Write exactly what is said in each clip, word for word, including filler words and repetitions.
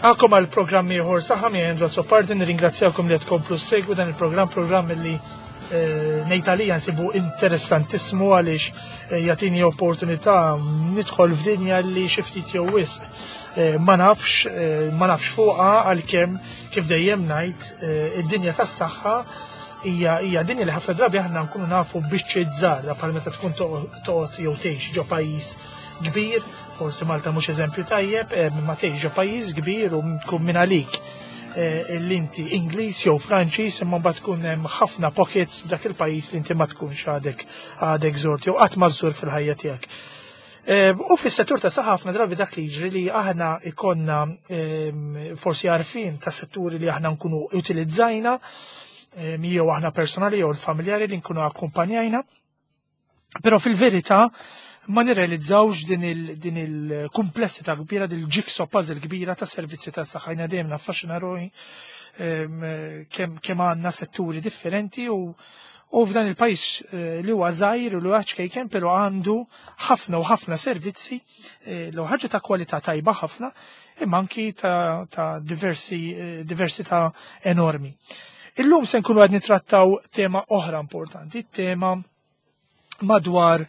Nilqakom għal programm ieħor saħħa miegħi Andrew Azzopardi, nirringrazzjakom li qed tkomplu ssegwu dan il-programm, programm li eh, ngħid għalija nsibu interessantissmu għaliex eh, jagħtini opportunità nidħol f'dinja li xi ftit jew wisq eh, ma nafx ma nafx fuqha, għalkemm kif dejjem ngħid, id-dinja tas-saħħa hija hija dinja li ħafna drabi aħna nkunu nafu biċċiet żgħar, bħal meta tkun toqgħod jew tgħix ġo pajjiż kbir. Forsi Malta mhux eżempju tajjeb, ma tgħix ġo pajjiż kbir u tkun minn għalik l-inti Ingliż jew Franċiż, imma mbagħad tkun hemm ħafna pockets f'dak il-pajjiż li inti ma tkunx għadek għadek żort jew qatt ma żżur fil-ħajja tiegħek. U fis-settur ta' saħħa ħafna drabi dak li jiġri li aħna ikonna forsi għarfien ta' setturi li aħna nkunu utilizzajna, jew aħna personali jew l-familjari li nkunu akkumpanjajna, però fil-verità ma nirrealizzawx din il-kumplessità kbira, din il-jigsaw puzzle kbira ta' servizzi ta' saħħa. Jiena dejjem naffaxxina ruħi kemm għandna setturi differenti u u f'dan il-pajjiż li huwa żgħir u li huwa ċkejken, però għandu ħafna u ħafna servizzi li ħaġa ta' kwalità tajba ħafna, imma anki ta' diversi diversità enormi. Illum se nkunu qed nitrattaw tema oħra importanti, tema madwar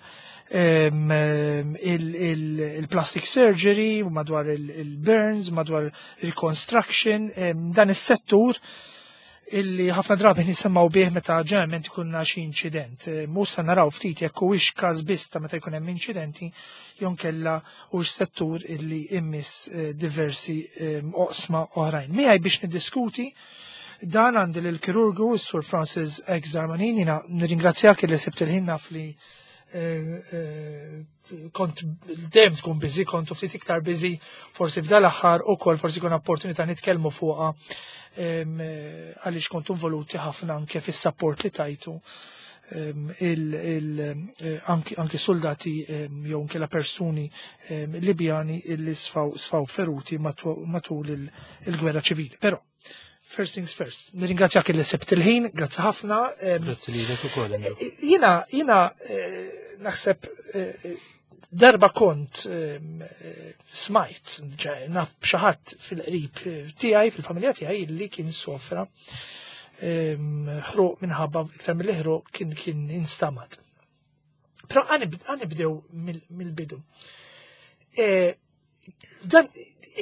il-plastic surgery, madwar il-burns, madwar reconstruction, dan is-settur illi ħafna drabi nisimgħu bih meta ġeneralment ikunna xi inċident. Mhux se naraw ftit jekk huwiex każ biss ta' meta jkun hemm inċidenti jew kella hux settur illi immiss diversi oqsma oħrajn. Miegħi biex niddiskuti dan għandi l-kirurgu s-Sur Francis X. Darmanin. Jiena nirringrazzjak li sibt il-ħin, naf li kont dejjem tkun busy, kont ftit iktar busy forsi f'dal-aħħar ukoll, forsi kun opportunità nitkellmu fuqha għaliex kontu involuti ħafna anke fis-support li tajtu anke soldati jew nkella persuni Libjani illi sfaw sfaw feruti matul il-gwerra ċivili. Però first things first, nirringrazzjak li sibt il-ħin, grazzi ħafna. Grazzi lilek ukoll. Jiena, jiena naħseb darba kont smajt, naf b'xi ħadd fil-qrib tiegħi, fil-familja tiegħi, li kien sofra ħruq minħabba, iktar mill-ħruq, kien kien instamat. Però ħa nibdew mill-bidu. Dan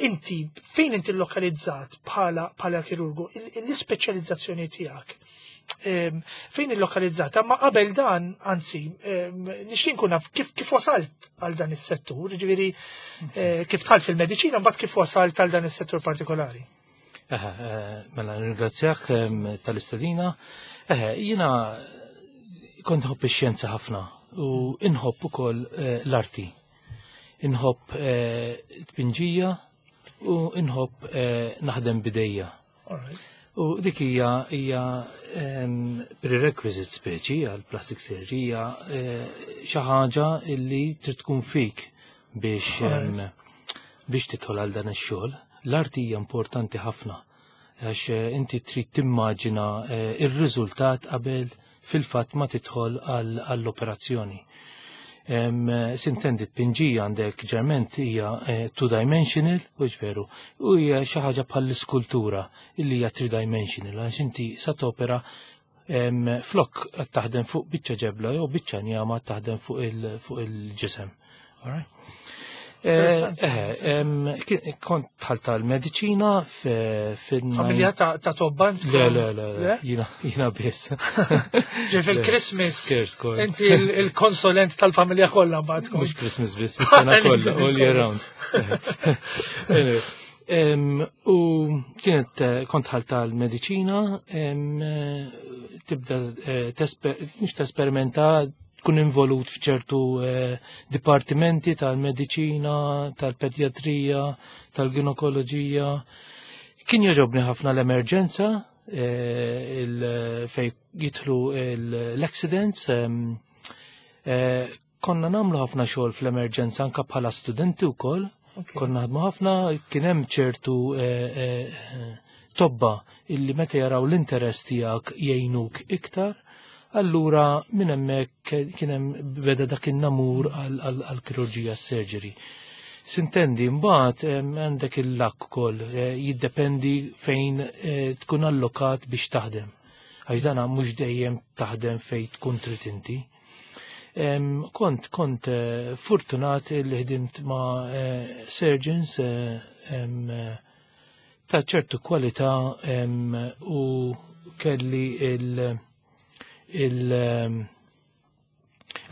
inti, fejn inti lokalizzat bħala bħala kirurgu, l-ispeċjalizzazzjoni tiegħek, fejn il-lokalizzata? Ma qabel dan, anzi, nixtieq nkun naf kif kif wasalt għal dan is-settur, ġifieri kif dħalt fil-mediċina, mbagħad kif wasalt għal dan is-settur partikolari. Mela, nirringrazzjak tal-istedina. Jiena kont nħobb ix-xjenza ħafna u inħobb ukoll l-arti. Inħobb tpinġija u inħobb naħdem bidejja. U dik hija hija prerequisite speċi għal plastic surgery, hija xi ħaġa li trid tkun fik biex biex tidħol għal dan ix-xogħol. L-arti hija importanti ħafna għax inti trid timmaġina ir-riżultat qabel fil-fatt ma tidħol għall-operazzjoni. S'intendi, tpinġija għandek ġerment hija two-dimensional, u veru, u hija xi ħaġa bħall-iskultura illi hija three-dimensional, għax inti sa topera flok qed taħdem fuq biċċa ġebla jew biċċa njama, taħdem fuq il-ġisem. All right? Eh, eh, kont dħalt tal-mediċina fil Familja ta' tobba? Le, le, le, jiena, jiena biss. Ġej fil-Christmas. Inti il-konsulent tal-familja kollha mbagħad. Mhux Christmas biss, is-sena kollha, all year round. U kienet kont dħalt tal-mediċina, tibda mhux tesperimenta, tkun involut f'ċertu eh, dipartimenti tal-mediċina, tal-pedjatrija, tal-ginekoloġija. Kien jogħġobni ħafna l-emerġenza, eh, fej jidħlu l-accidents. Eh, konna nagħmlu ħafna xogħol fl-emerġenza anka bħala studenti wkoll. Konna naħdmu ħafna, kien hemm ċertu tobba illi meta jaraw l-interess tiegħek jgħinuk iktar. Allura minn hemmhekk kien hemm beda dak in-namur għall-kirurġija, surgery. S'intendi, mbagħad għandek il-luck ukoll, eh, jiddependi fejn eh, tkun allokat biex taħdem. Għax dana mhux dejjem taħdem fejn tkun trid inti. Kont kont eh, fortunat li ħdimt ma' surgeons ta' ċertu kwalità u kelli il- il-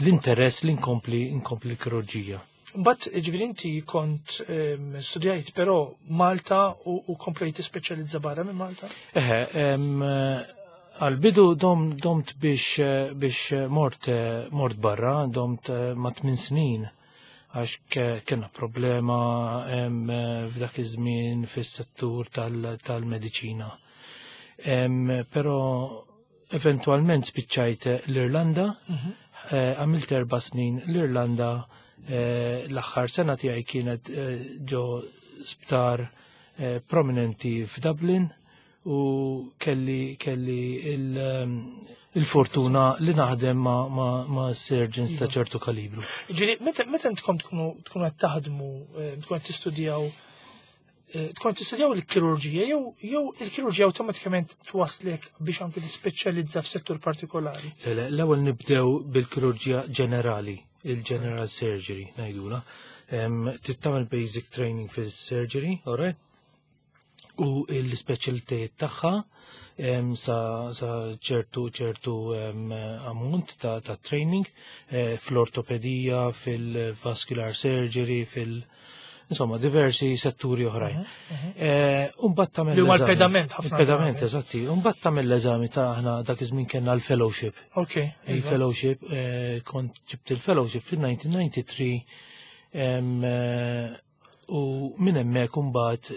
l-interess li nkompli nkompli l-kirurġija. But ġifieri inti kont studjajt però Malta u, u komplejt tispeċjalizza barra minn Malta? Eħe, għal-bidu dom, domt biex, biex mort, mort barra, domt ma' tmien snin għax kena problema f'dak iż-żmien fis-settur tal-mediċina. Però eventualment spiċċajt l-Irlanda, mhm. eh, għamilt erba' snin l-Irlanda. Eh, l-aħħar sena tiegħi kienet eh, ġo sptar eh, prominenti f'Dublin u kelli kelli il-fortuna li naħdem ma', ma, ma surgeons ta' iva. ċertu kalibru. Ġifieri, meta intkom tkunu tkunu qed taħdmu, tkunu qed tistudjaw tkun tistudjaw il-kirurġija jew jew il-kirurġija awtomatikament twaslek biex anke tispeċjalizza f'settur partikolari? L-ewwel nibdew bil-kirurġija ġenerali, il-general surgery ngħidula. Trid tagħmel basic training fil-surgery, alright? U l-speċjalitajiet tagħha sa, sa ċertu ċertu ammont ta', ta training eh, fl-ortopedija, fil-vascular surgery, fil- insomma, diversi setturi oħrajn. Mhm, mhm. Eh, Umbagħad tagħmel Li huma l-pedament ħafna. Il-pedament, eżatti. Umbagħad tagħmel l-eżami ta' aħna dak iż-żmien kellna l-fellowship. Ok. Iva. Il-fellowship, eh, kont ġibt il-fellowship fil-elf disa' mija u tnejn u disgħin eh, u minn hemmhekk imbagħad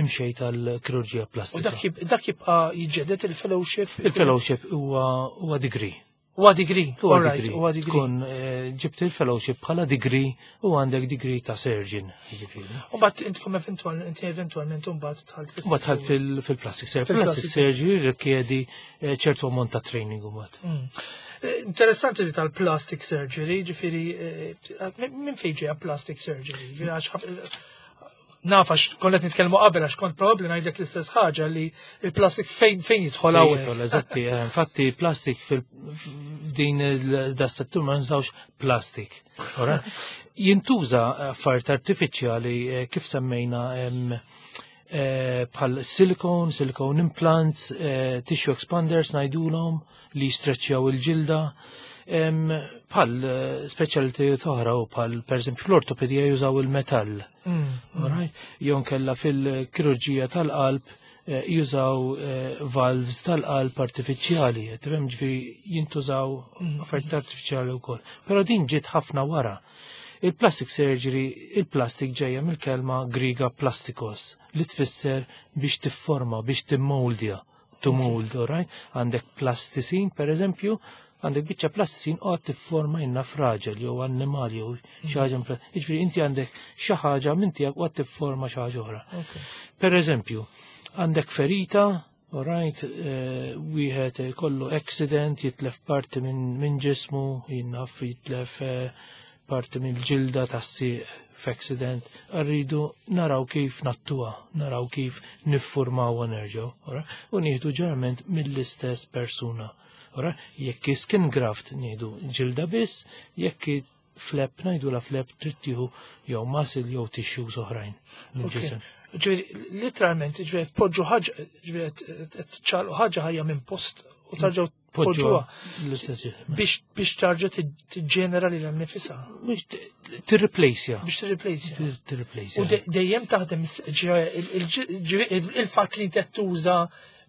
imxejt għall-kirurġija U plastika. dak jib- dak jibqa' jiġġedded il-fellowship? Il-fellowship huwa huwa degree. Huwa degree. Huwa All right, degree. huwa degree. Tkun eh, ġibt il-fellowship bħala degree u għandek degree ta' surgeon. Ġifieri. U mbagħad intkom eventual inti eventualment imbagħad dħalt fis- Mbagħad dħalt fil- fil-plastic surgery. Fil-plastic Plastic surgery rikjedi eh, ċertu ammont ta' training u mbagħad. Mm. Eh, Interessanti li tal-plastic surgery, ġifieri, eh, minn minn fejn ġeja plastic surgery? Ġifieri, għax ħaf- naf għax konna qed nitkellmu qabel għax kont probabbli ngħidlek l-istess ħaġa li il-plastic fejn fejn jidħol hawn. Jidħol, eżatti, eh, infatti plastic fil-f'din da settur ma nżawx plastic. Ora? Jintuża affarijiet artifiċjali eh, kif semmejna em, eh, bħal silicone, silicone implants, eh, tissue expanders ngħidulhom li jistreċċjaw il-ġilda. Em, Bħal eh, specialty oħra u bħal per esempio fl-ortopedija jużaw il-metall. Mm. Alright? Jew kella fil-kirurġija tal-qalb eh, jużaw eh, valves tal-qalb artifiċjali, tifhem, ġifieri jintużaw affarijiet artifiċjali wkoll. Però din ġiet ħafna wara. Il-plastic surgery, il-plastic ġejja mill-kelma Griega plastikos, li tfisser biex tifforma, biex timmoldja, to mold, alright? Għandek plasticine, per eżempju, għandek biċċa plasticine u għad tifforma inna fraġel jew annimal jew xi ħaġa. Jiġifieri inti għandek xi ħaġa minn tiegħek u għad tifforma xi ħaġa oħra. Ok. Per eżempju, għandek ferita, alright, eh, wieħed kollu accident, jitlef parti minn min ġismu, jinnaf jitlef eh, parti minn ġilda tas-sieq f'accident, rridu naraw kif nattuha, naraw kif niffurmaw nerġgħu, alright? U nieħdu ġeneralment mill-istess persuna. Alright? Jekk skin graft nieħdu ġilda biss, jekk flap ngħidu la flap trid tieħu jew muscle jew tissues oħrajn mill-ġisem. Ġifieri, literalment, ġifieri, tpoġġu ħaġa, ġifieri, tċaqalqu ħaġa ħajja minn post u tarġgħu tpoġġuha l-istess biex biex tarġa' tiġġenera lilha nnifisha. Biex tirreplaceja. Biex tirreplaceja. Tirreplaceja. U de- dejjem taħdem is- ġifieri, il- il- ġifieri, il-fatt li inti tuża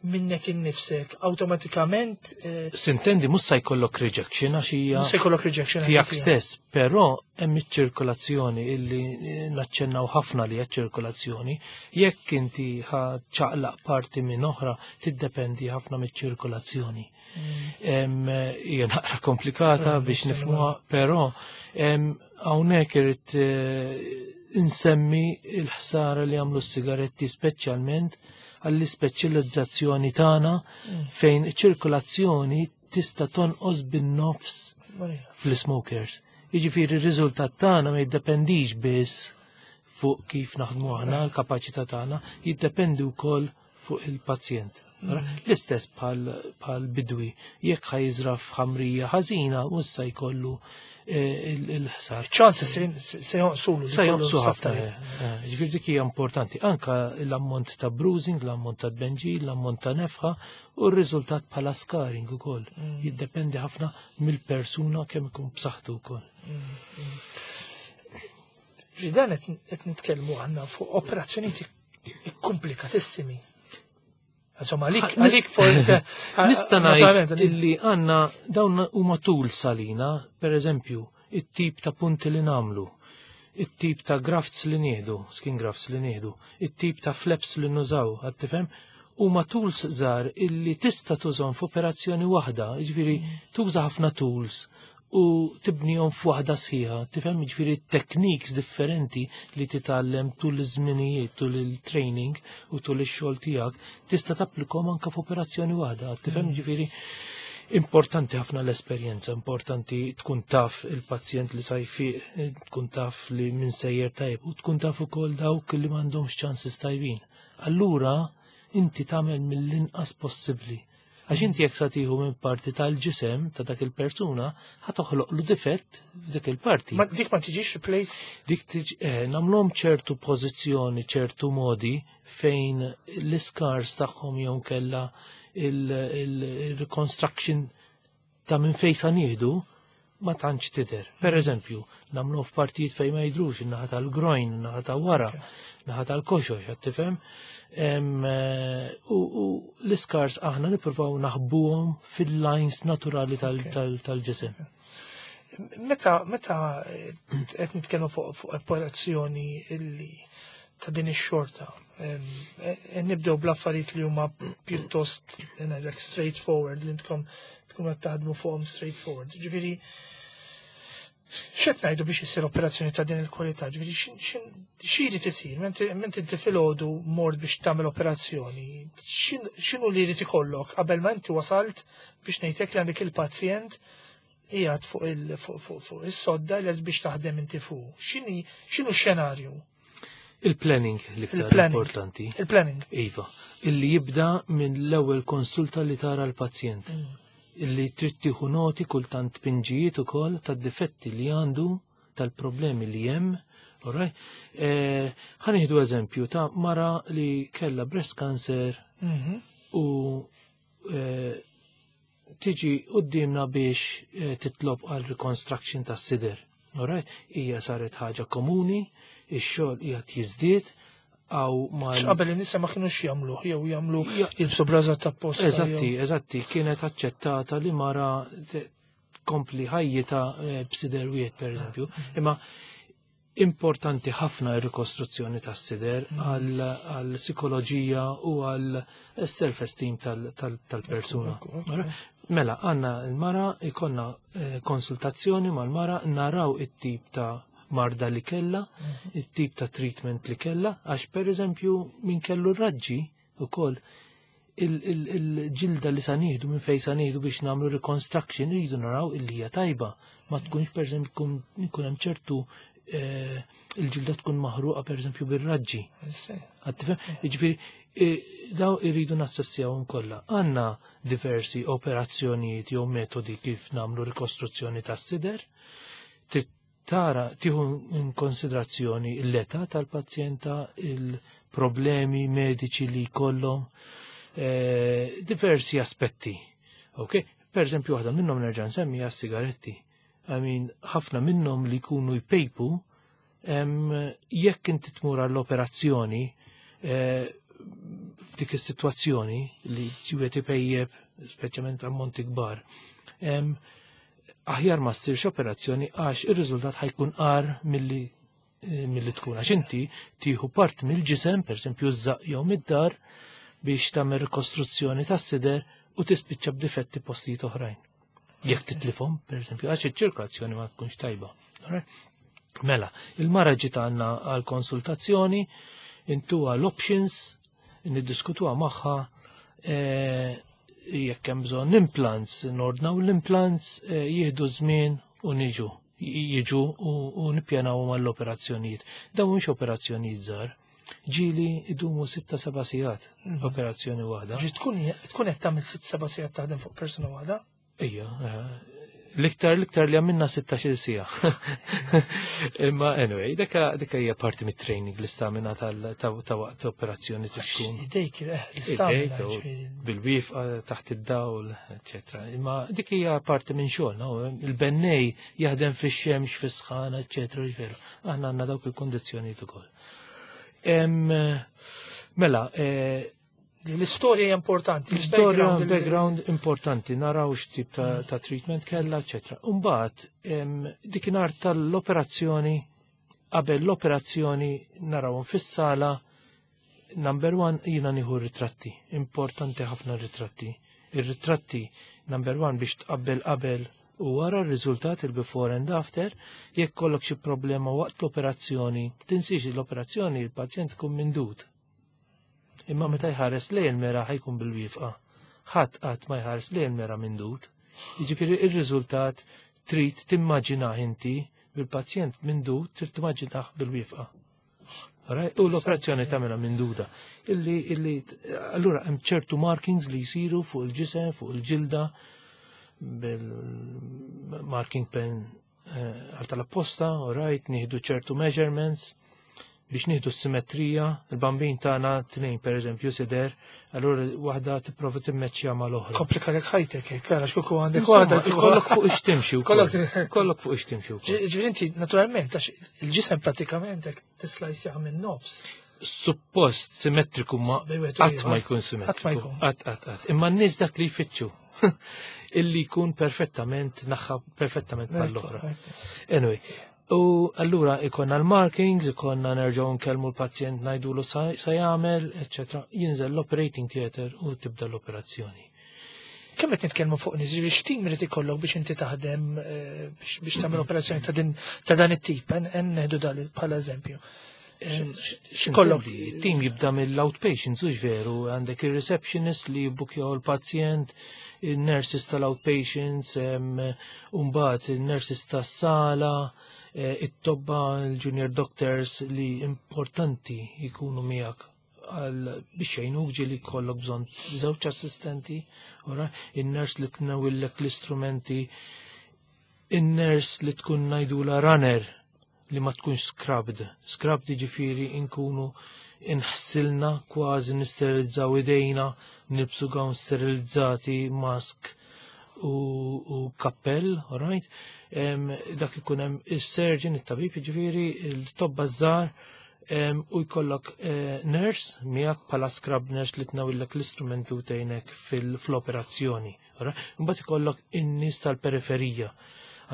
minnek innifsek awtomatikament eh, S'intendi mhux se jkollok rejection għax hija se jkollok rejection. tiegħek stess, però hemm iċ-ċirkolazzjoni illi naċċennaw ħafna li hija ċirkolazzjoni. Jekk inti ħa ċaqlaq parti minn oħra, tiddependi ħafna miċ-ċirkolazzjoni. Em, Hija naqra komplikata Mm, biex nista' nifhmuha, però em, hawnhekk irid eh, insemmi il-ħsara li għamlu s-sigaretti speċjalment għall-ispeċjalizzazzjoni tagħna fejn iċ-ċirkolazzjoni tista' tonqos bin-nofs Marija. fl-smokers. Jiġifieri r-riżultat tagħna ma jiddependix biss fuq kif naħdmu aħna, l-kapaċità tagħna, jiddependi wkoll fuq il-pazjent. L-istess bħal bidwi, jekk ħa jiżra' f'ħamrija ħażina, mhux se jkollu eh, il-ħsar. Ċans se jonqsulu. Se jonqsu ħafna. Eh, eh, ġifieri dik hija importanti. Anka l-ammont ta' bruising, l-ammont ta' tbenġil, l-ammont ta' nefħa u r-riżultat bħala scarring ukoll. Mm. Jiddependi ħafna mill-persuna kemm ikun b'saħħtu wkoll. Mm, mm. Ġidan qed nitkellmu għandna fuq operazzjonijiet komplikatissimi. Insomma, għalik, għalik for. Nista' ngħid illi għandna dawn huma tools għalina, per eżempju, it-tip ta' punti li nagħmlu, it-tip ta' grafts li nieħdu, skin grafts li nieħdu, it-tip ta' flaps li nużaw, qed tifhem, huma tools żgħar illi tista' tużhom f'operazzjoni waħda, jiġifieri tuża ħafna tools u tibnihom f'waħda sħiħa, tifhem, jiġifieri techniques differenti li titgħallem tul iż-żminijiet, tul il-training u tul ix-xogħol tiegħek, tista' tapplikhom anke f'operazzjoni waħda, tifhem, jiġifieri importanti ħafna l-esperjenza, importanti tkun taf il-pazjent li sa jfiq, tkun taf li min sejjer tajb u tkun taf ukoll dawk li m'għandhomx chances tajbin. Allura inti tagħmel mill-inqas possibbli. Għax inti jekk sa tieħu minn parti tal-ġisem ta' dak il-persuna, ħa toħloqlu difett f'dik il-parti. Ma dik ma tiġix replace? Dik tiġi, eh, nagħmluhom ċertu pożizzjoni, ċertu modi fejn l-scars tagħhom jew kella il-reconstruction ta' minn fejn sa nieħdu ma tantx tidher. Per eżempju, nagħmlu f'partijiet fejn ma jidrux, in-naħa tal-groin, in-naħa ta' wara, naħa tal-koxox, qed tifhem? Em, eh, U u l-scars aħna nippruvaw naħbuhom fil-lines naturali tal- tal- tal-ġisem. Meta meta qed nitkellmu fuq fuq operazzjoni illi ta' din ix-xorta, em, e- nibdew bl-affarijiet li huma pjuttost ngħidlek straightforward li intkom tkunu qed taħdmu fuqhom straightforward. Ġifieri x'qed ngħidu biex issir operazzjoni ta' din il-kwalità? Ġifieri x'in- x'in- xi jrid isir? Mentri mentri inti filgħodu mort biex tagħmel operazzjoni, x'in- x'inhu li jrid ikollok qabel ma inti wasalt biex ngħidlek li għandek il-pazjent qiegħed fuq il fuq fuq fuq is-sodda lest biex taħdem inti fuq. X'inhi x'inhu x-xenarju? Il-planning l-iktar Il-planning. importanti. Il-planning. Iva, illi jibda minn l-ewwel konsulta li tara l-pazjent. Illi trid tieħu noti kultant pinġijiet ukoll tad-difetti li għandu, tal-problemi li hemm. Alright? Eh, ħa nieħdu eżempju ta' mara li kella breast cancer Mhm. u eh, tiġi qudiemna biex eh, titlob għal reconstruction tas sider. Alright? Hija saret ħaġa komuni, ix-xogħol qiegħed jiżdied għaw mal X'qabel in-nisa ma kienux jagħmlu jew jagħmlu Ja. jilbsu braża ta' posta. Eżatti, eżatti, kienet aċċettata li mara te- tkompli ħajjita eh, b'sider wieħed per eżempju. Imma importanti ħafna ir-rikostruzzjoni tas-sider għal għal psikoloġija u għal self-esteem tal-persuna. Ekku, ekku, ekku. Mela, għandna l-mara, ikollna eh, konsultazzjoni mal-mara, naraw it-tip ta' marda li kella, it-tip ta' treatment li kella, għax per eżempju min kellu raġġi u koll il-ġilda li sa nieħdu minn fejn sa nieħdu biex nagħmlu reconstruction rridu naraw illi hija tajba. Ma tkunx per eżempju jkun hemm ċertu eh, il-ġilda tkun maħruqa per eżempju bir-raġġi. Qed tifhem? Jiġifieri eh, daw irridu nassessjawhom kollha. Għandna diversi operazzjonijiet jew metodi kif nagħmlu rikostruzzjoni tas-sider. Trid tara tieħu in konsiderazzjoni l-età tal-pazjenta, il-problemi mediċi li jkollhom, eh, diversi aspetti. Ok? Per eżempju, waħda minnhom nerġa' nsemmi hija sigaretti. I mean, ħafna minnhom li jkunu jpejpu em, jekk inti tmur għall-operazzjoni eh, f'dik is-sitwazzjoni li ġiwet ipejjeb, speċjalment ammonti kbar, em, aħjar ma ssirx operazzjoni għax ir-riżultat ħa jkun agħar milli eh, milli tkun. Għax inti tieħu part mill-ġisem, per eżempju ż-żaq jew mid-dahar, biex tagħmel rikostruzzjoni tas-sider u tispiċċa b'difetti postijiet oħrajn. Jekk titlifhom, per eżempju, għax iċ-ċirkolazzjoni ma tkunx tajba. Alright? Mela, il-mara ġiet għandna għal konsultazzjoni, intuha l-options, niddiskutuha magħha, eh, jekk hemm bżonn implants, nordnaw l-implants, eh, jieħdu żmien u niġu. Jiġu u, u nippjanaw mal-operazzjonijiet. Dawn mhux operazzjonijiet żgħar. Ġieli idumu sitta seba' sigħat operazzjoni waħda. Ġi tkun tkun qed tagħmel sitt seba' sigħat taħdem fuq persuna waħda? Ija, eh, l-iktar l-iktar li għamilna sittax-il siegħa. Imma anyway, dika dika hija parti mit-training, l-istamina tal- ta' ta' waqt operazzjoni tkun. Idejk, eh, l-istamina. Idejk, u ġifieri. bil-wieqfa taħt id-dawl, eccetera. Imma dik hija parti minn xogħol, no? Il-bennej jaħdem fix-xemx, fis-sħana, eccetera, ġveru. Aħna għandna dawk il-kondizzjonijiet ukoll. Em, Mela, eh, L-istorja hija importanti. l-istorja, il-background, il- background importanti, naraw x'tip ta', ta' treatment kella, eccetera. Umbagħad, em, dikinhar tal-operazzjoni, qabel l-operazzjoni narawhom fis-sala, number one, jina nieħu ritratti. Importanti ħafna ritratti. Ir-ritratti, number one, biex tqabbel qabel u wara r-riżultat, il-before and after, jekk kollok xi problema waqt l-operazzjoni, tinsiex l-operazzjoni il-pazjent kun mindud. Imma meta jħares lejn il-mera ħa jkun bil-wieqfa. Ħadd qatt ma jħares lejn il-mera mindud. Jiġifieri ir-riżultat trid timmaġinah inti bil-pazjent mindud, trid timmaġinah bil-wieqfa. Alright? U l-operazzjoni tagħmilha minduda. Illi, illi, allura hemm ċertu markings li jsiru fuq il-ġisem, fuq il-ġilda, bil-marking pen eh, għal tal-apposta, alright, nieħdu ċertu measurements biex nieħdu s-simetrija, il-bambin tagħna tnejn, per eżempju, sider, allura waħda tipprova timmeċċja mal-oħra. Komplikalek ħajtek, hekk, għax kieku għandek Insomma, waħda. ikollok fuq ix-timxi wkoll. Kollok- Kollok fuq ix-timxi wkoll. Ġifieri inti, naturalment, għax il-ġisem pratikament hekk tislajsjaha minn nofs. Suppost simmetriku, ma Bejn wieħed u qatt ma ieħor. jkun simmetriku. Qatt ma jkun. Qatt, qatt, qatt. Imma n-nies dak li jfittxu. Illi jkun perfettament naħa perfettament bħall-oħra. Anyway, u allura ikonna l-markings, ikonna nerġgħu nkellmu l-pazjent, ngħidulu sa sa jagħmel, eċċetera. Jinżel l-operating theater u tibda l-operazzjoni. Kemm qed nitkellmu fuq nies, ġifieri x'tim irid ikollok biex inti taħdem eh, biex biex tagħmel operazzjoni ta' din ta' dan it-tip, en en neħdu dan bħala eżempju. X'ikollok? Il-team jibda mill-outpatients, ux veru, għandek il-receptionist li jibbukjaw il-pazjent, il-nurses tal-outpatients, umbagħad il-nurses tas-sala, eh, it-tobba, il-junior doctors li importanti jkunu miegħek għal biex jgħinuk ġieli kollok bżonn żewġ assistenti, ora, il-nurse li tnawillek l-istrumenti, il-nurse li tkun ngħidulha runner li ma tkunx scrubbed. Scrubbed ġifieri inkunu inħsilna kważi, nisterilizzaw idejna, nilbsu gown sterilizzati, mask u, u kappell, alright? Em, dak ikun hemm il-surgeon, it-tabib ġifieri, il-tobba żgħar, em, u jkollok eh, nurse miegħek bħala scrub nurse li tnawillek l-istrumentu tgħinek fil-operazzjoni. Mbagħad ikollok in-nies tal-periferija.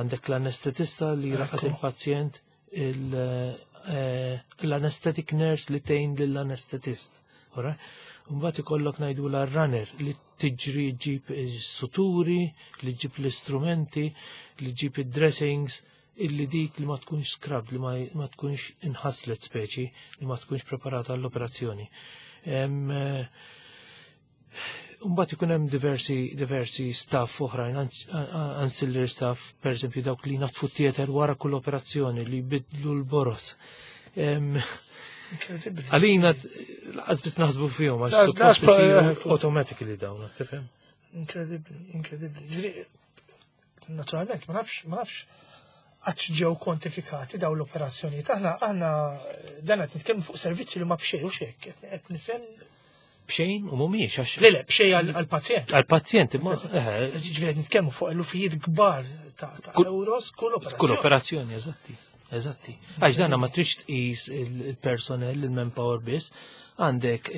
Għandek l-anestetista li raqad Ekku. il-pazjent, il, eh, l-anesthetic nurse li tgħin lill-anestetist. Alright? Mbagħad ikollok ngħidu l-runner li tiġri ġib is-suturi, li ġib l-istrumenti, li ġib id-dressings, illi dik li ma tkunx scrubbed, li ma, ma tkunx inħaslet speċi, li ma tkunx preparata għall-operazzjoni. Em, eh, Mbagħad ikun hemm diversi diversi staff oħrajn, ancillary staff, per eżempju dawk li naddfu theater wara kull operazzjoni, li jbidlu l-boros. Em, Incredibbli. Għalina lanqas biss naħsbu fihom għax Las- suppost las- isiru automatically dawn, tifhem? Incredibbli, incredibbli. Ġifieri, naturalment, ma nafx, ma nafx għax ġew kwantifikati daw l-operazzjonijiet. Aħna, aħna dan qed nitkellmu fuq servizzi li ma b'xejn u xek. Qed nifhem Bxejn u mhumiex għax Le, le, b'xejn għal- għall-pazjent. għal-pazjent imma eh, Ġifieri qed nitkellmu fuq elufijiet kbar ta' ta' Kull- euros kull operazzjoni. kull operazzjoni, eżatti. Eżatti. Għax danna ma trix tqis il-personnel, il-manpower biss, għandek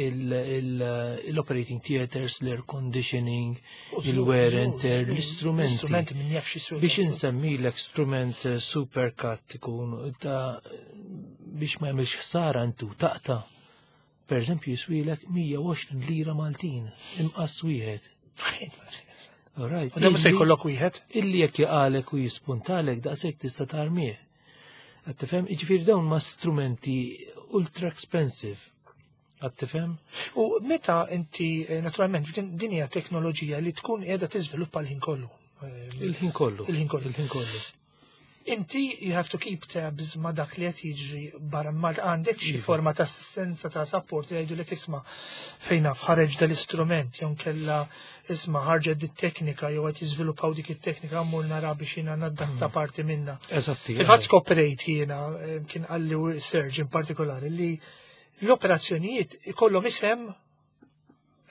il-operating theaters, l-air conditioning, il-wear and tear, l-istrumenti. L-istrumenti min jaf xi Biex insemmilek strument eh, supercut ikun ta' biex ma jagħmilx ħsara intu taqta. Per eżempju jiswilek mija u għoxrin lira Maltin, imqas wieħed. Alright. U dan se Illi- jkollok wieħed. Illi jekk jaqalek u jispuntalek daqshekk tista' tarmih. Qed tifhem? Jiġifieri dawn ma strumenti ultra expensive. Qed tifhem? U meta inti, eh, naturalment, din din hija teknoloġija li tkun qiegħda tiżviluppa l-ħin kollu. Eh, Il-ħin kollu. Il-ħin kollu. Il-ħin kollu. Inti you have to keep tabs ma dak li qed jiġri barra Malta. Għandek xi Iva. forma ta' assistenza, ta' support li jgħidulek, "Isma', fejn naf ħareġ dal-istrument," jew kella, "Isma', ħarġet dit teknika jew qed jiżviluppaw dik it-teknika, mmur nara biex jiena nadatta parti minna"? Eżatti. Fil-fatt skoprejt jiena, eh, kien qalli surgeon partikolari li l-operazzjonijiet ikollhom isem,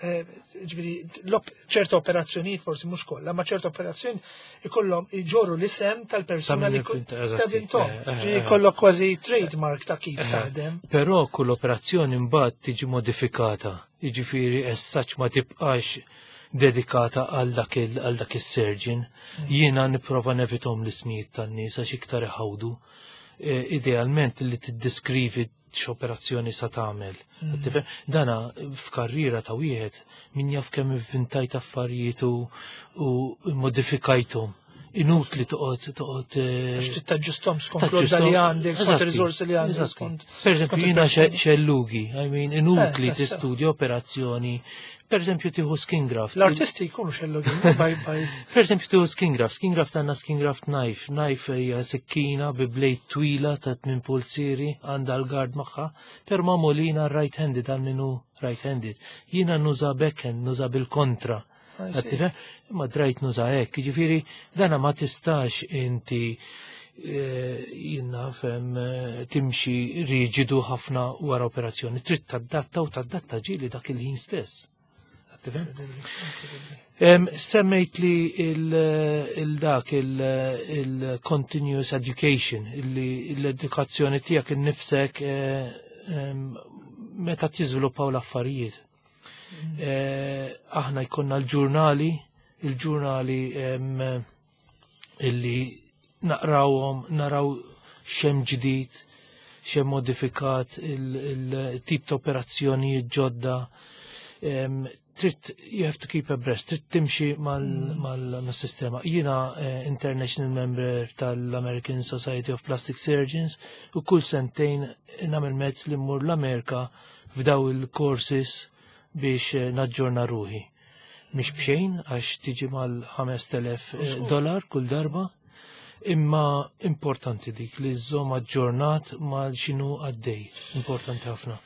eh, ġifieri, l-op- ċerta operazzjonijiet, forsi mhux kollha, ma ċerta operazzjonijiet ikollhom iġorru l-isem tal-persuna Ta' min li ku- finta, eżatti. ta' vintom. Eh, eh, Ġifieri eh. ikollok kważi trademark ta' kif Eh, taħdem. Però kull operazzjoni mbagħad tiġi modifikata. Jiġifieri as such ma tibqax dedikata għal dak il- għal dak is-surgeon. Jiena nipprova nevitahom l-ismijiet tan-nies għax iktar iħawdu. Eh, Idealment li tiddeskrivi x'operazzjoni sa tagħmel. Tifhem? Dana f'karriera ta' wieħed min jaf kemm ivvintajt affarijiet u u modifikajthom. Inutli toqgħod toqgħod eh, Għax trid taġġustom skont l-għodda li għandek, skont il-riżorsi li għandek. Eżatti. skont- Per eżempju, skont jiena il-persuna. xellugi, I mean, inutli Eh, tassew. tistudja operazzjoni. Per eżempju, tieħu skin graft. L-artisti jkunu xellugi, baj baj. Per eżempju, tieħu skin graft. Skin graft għandna skin graft knife. Knife hija sikkina bi blade twila ta' tmien pulzieri, għandha l-guard magħha, per magħmulina right-handed għal min hu right-handed. Jiena nuża backhand, nuża bil-kontra. I see. Tifhem? Imma drajt nuża hekk, jiġifieri dana ma tistax inti eh, jiena fem eh, timxi riġidu ħafna wara operazzjoni. Trid tadatta u tadatta ġieli dak il-ħin stess. Tifhem? Em, Semmejt li il-dak il-continuous education, illi l-edukazzjoni tiegħek innifsek eh, em, meta tiżviluppaw l-affarijiet. Eh, Aħna jkollna l-ġurnali, il-ġurnali em, illi naqrawhom, naraw x'hemm ġdid, x'hemm modifikat, il-tip ta' operazzjonijiet ġodda. Em, Trid, you have to keep abreast, trid timxi mal-sistema. Jiena eh, international member tal-American Society of Plastic Surgeons u kull sentejn nagħmel mezz li mmur l-Amerika f'daw il-courses biex eh, naġġorna ruħi. Mhix bxejn, għax tiġi mal-ħamest elef eh, dollar kull darba, imma importanti dik li żżomm aġġornat ma' x'inhu għaddej. Importanti ħafna.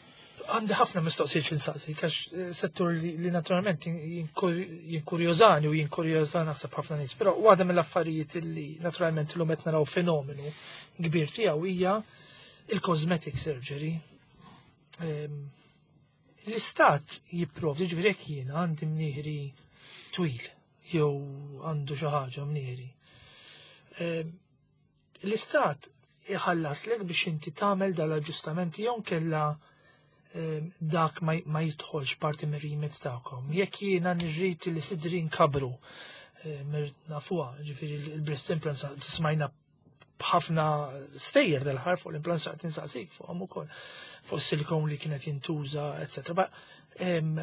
Għandi ħafna mistoqsijiet x'insaqsi, għax eh, settur li, li naturalment jinkur- jinkurjożani u jinkurjożana naħseb ħafna nies, però waħda mill-affarijiet li naturalment illum qed naraw fenomenu kbir tiegħu hija il-cosmetic surgery. Ehm, L-istat jipprovdi, ġifieri jekk jiena għandi mnieħri twil jew għandu xi ħaġa mnieħri. Ehm, L-istat iħallaslek biex inti tagħmel dal-aġġustamenti jew kella ehm, dak ma ma jidħolx parti mir-remit tagħkom? Jekk jiena nirrid li sidri nkabru, eh, nafuha, ġifieri il-breast implants, smajna b'ħafna stejjer dal-ħar fuq l-implants, qed insaqsik fuqhom ukoll, fuq silikon li kienet jintuża, eċetera. Ba, em,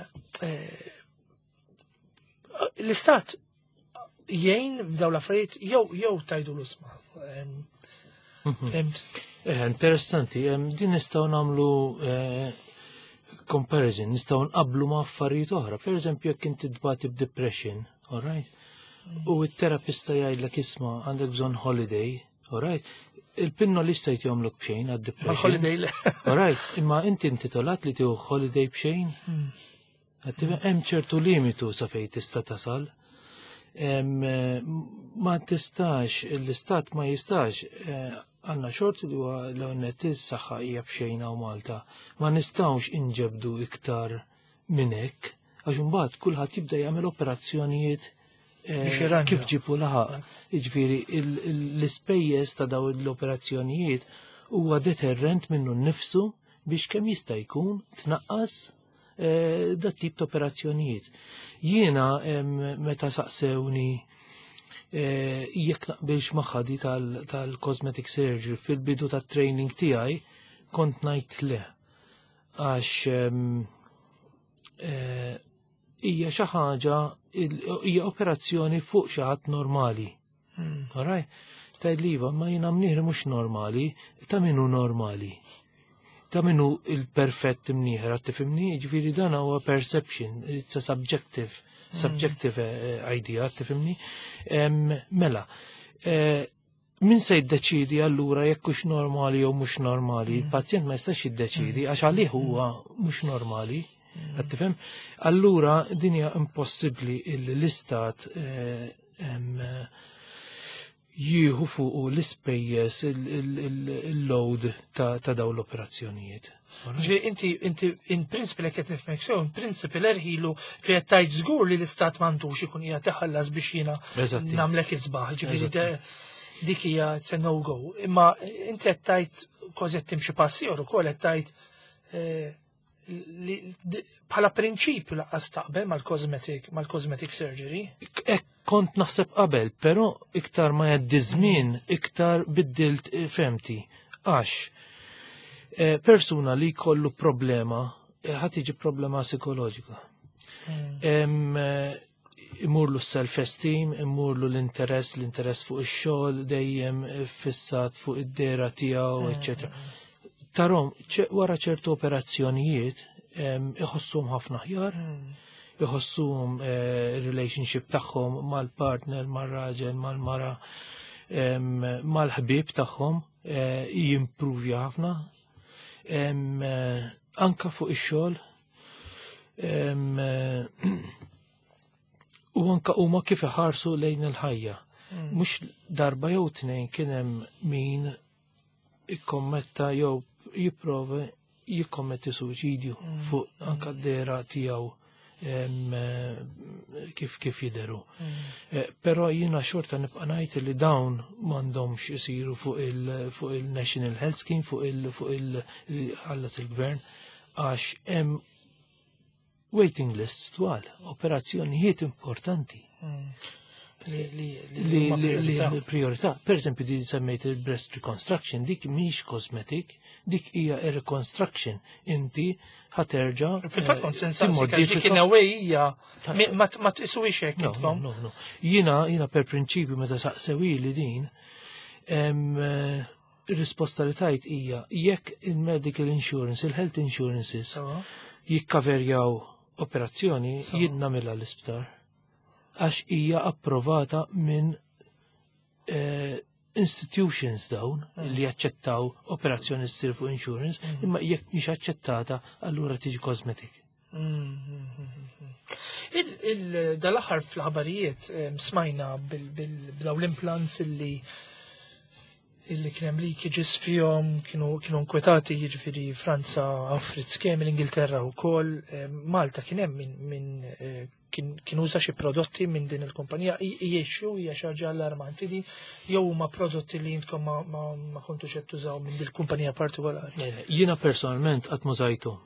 eh, L-istat jgħin f'daw l-affarijiet jew jew tajdu l-usma? Fhimt? Eh, interessanti, em, din nistgħu nagħmlu eh, comparison, nistgħu nqablu ma' affarijiet oħra. Per eżempju, jekk inti tbati b'depression, all right? U t-terapista jgħidlek, "Isma', għandek bżonn holiday," all right? Il-pinnoli jagħmluk b'xejn għad-depression. Holiday le. All right, imma inti intitolat li tieħu holiday b'xejn? Għattiva, hemm ċertu limitu sa fejn tista' tasal. Em, eh, Ma tistax, l-istat ma jistax, eh, għandna xorti li huwa l-għonet is-saħħa hija b'xejn hawn Malta. Ma nistgħux inġebdu iktar minn hekk, għax imbagħad kulħadd jibda jagħmel operazzjonijiet eh, Biex jirranġa. kif ġibu laħaq. Jiġifieri il- il- l-ispejjeż ta' daw l-operazzjonijiet huwa deterrent minnu nnifsu biex kemm jista' jkun tnaqqas eh, dat tip ta' operazzjonijiet. Jiena em, meta saqsewni eh, jekk naqbilx magħha di tal-cosmetic surgery fil-bidu tat-training tiegħi, kont ngħid le. Għax em, eh, hija xi ħaġa, hija operazzjoni fuq xi ħadd normali. Alright? Tgħid li iva, ma jiena mnieħri mhux normali, ta' min hu normali? Ta' min hu il-perfett mnieħer, għat tifhimni? Ġifieri dan huwa perception, it's a subjective, subjective eh, idea, tifhimni? Em, Mela, eh, Min se jiddeċidi allura jekk hux normali jew mhux normali? Il-pazjent ma jistax jiddeċidi għax għalih huwa mhux normali. Qed tifhem? Allura din hija impossibbli illi l-istat eh, em, eh, jieħu fuq l-ispejjeż il-load ta' ta' dawn l-operazzjonijiet. Ġifieri inti inti in principle, qed nifhmek sew, in principle erħilu fi qed tgħid żgur li l-istat m'għandux ikun qiegħed iħallas biex jiena Eżatti. nagħmlek isbaħ, ġifieri Eżatti. de- dik hija, it's a no go. Imma inti qed tgħid kważi qed timxi passi ieħor ukoll, qed tgħid eh, li di- bħala prinċipju lanqas taqbel mal-cosmetic mal-cosmetic surgery. Ek kont naħseb qabel, però iktar ma jgħaddi żmien, iktar biddilt eh, fehmti. Għax eh, persuna li jkollu problema, eh, ħa tiġi problema psikoloġika. Em, eh, imurlu self-esteem, imurlu l-interess, l-interess fuq ix-xogħol dejjem fissat fuq id-dehra tiegħu, eċċetera. Tarom, ċe- wara ċertu operazzjonijiet, em, iħossuhom ħafna aħjar, iħossuhom eh, relationship tagħhom mal-partner, mal-raġel, mal-mara, em, mal-ħbieb tagħhom eh, jimpruvja ħafna. Em, eh, Anka fuq ix-xogħol em, eh, u anka huma kif iħarsu lejn il-ħajja. Mhux darba jew tnejn kien hemm min ikkommetta jew jipprova jikkommetti suwiċidju fuq anka d-dehra tiegħu em, eh, kif kif jideru. Eh, Però jiena xorta nibqa' ngħid li dawn m'għandhomx isiru fuq il fuq il-National Health Scheme, fuq il fuq il ħallas il-gvern, għax hemm waiting lists twal, operazzjonijiet importanti Li li li huma li li priorità. li priorità. Per eżempju, di semmejt il-breast reconstruction, dik mhix cosmetic, dik hija reconstruction. Inti ħa terġa' Fil-fatt kont se nsaqsik għax dik timmodifika- in a way hija mi- ma ma tqisuhiex hekk No, intkom. no, no. Jiena, jiena per prinċipju meta saqsewi li din, em, eh, ir-risposta li tajt hija jekk il-medical insurance, il-health insurances Sewa. jikkaverjaw operazzjoni, Sewa. jien nagħmilha l-isptar. Għax hija approvata minn eh, institutions dawn li jaċċettaw operazzjoni ssir fuq insurance, imma jekk mhix aċċettata, allura tiġi cosmetic. Il- il- Dal-aħħar fl-aħbarijiet em, smajna bil- bil- b'daw l-implants illi illi kien hemm leakages fihom, kienu kienu nkwetati, jiġifieri Franza offrit skemi, l-Ingilterra wkoll, em, Malta kien hemm min min eh, kien kien uża xi prodotti minn din il-kumpanija. Jiexu hija xi ħaġa allarmanti di jew huma prodotti li intkom ma, ma, ma kontux qed tużaw minn din il-kumpanija partikolari? Eh, Jiena personalment qatt m'użajtu.